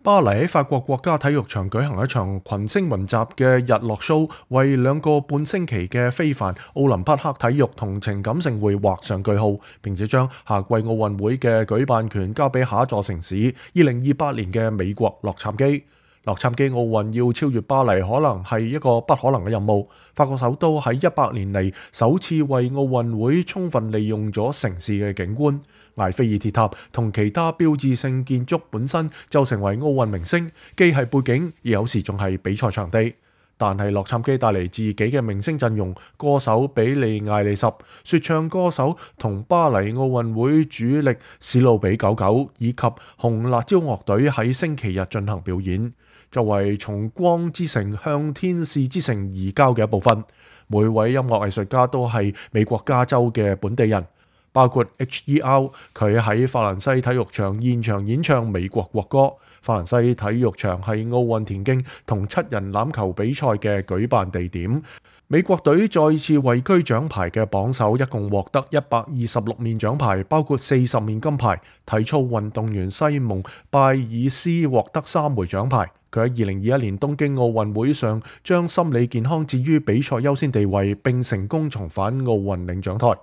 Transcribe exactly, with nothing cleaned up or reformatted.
巴黎喺法國國家體育場舉行一場群星雲集嘅日落 show， 為兩個半星期嘅非凡奧林匹克體育同情感盛會畫上句號，並且將夏季奧運會嘅舉辦權交俾下一座城市二零二八年嘅美國洛杉磯。洛杉磯奧運要超越巴黎，可能係一個不可能嘅任務。法國首都喺一百年嚟首次為奧運會充分利用咗城市嘅景觀，埃菲爾鐵塔同其他標誌性建築本身就成為奧運明星，既係背景，而有時仲係比賽場地。但係洛杉磯帶嚟自己嘅明星陣容，歌手比利艾利什、說唱歌手同巴黎奧運會主力史努比九九以及紅辣椒樂隊喺星期日進行表演。作為從光之城向天使之城移交嘅一部分，每位音樂藝術家都係美國加州嘅本地人，包括 H E R 佢喺法蘭西體育場現場演唱美國國歌。法蘭西體育場係奧運田徑同七人欖球比賽嘅舉辦地點。美國隊再次位居獎牌嘅榜首，一共獲得一百二十六面獎牌，包括四十面金牌。體操運動員西蒙拜爾斯獲得三枚獎牌。佢喺二零二一年東京奧運會上將心理健康置於比賽優先地位，並成功重返奧運領獎台。